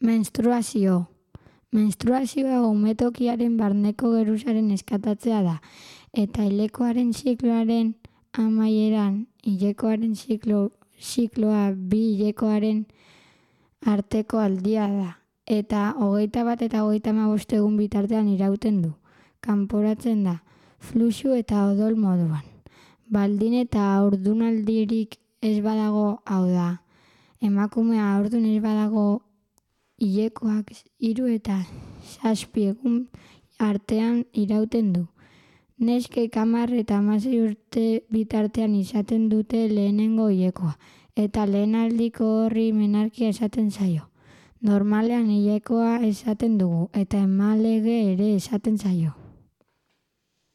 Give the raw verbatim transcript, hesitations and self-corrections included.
Menstruazio. Menstruazioa umetokiaren barneko geruzaren eskatatzea da, eta hilekoaren zikloaren amaieran hilekoaren ziklo, zikloa bi hilekoaren arteko aldia da, eta hogeita bat eta hogeita hamabost egun bitartean irauten du. Kanporatzen da, fluxu eta odol moduan. Baldin eta haurdunaldirik ez badago, hau da, emakumea haurdun ez badago, hilekoak hiru eta zazpi egun artean irauten du. Neskek hamar eta hamasei urte bitartean izaten dute lehenengo hilekoa, eta lehenaldiko horri menarkia esaten zaio. Normalean hilekoa esaten dugu, eta emalege ere esaten zaio.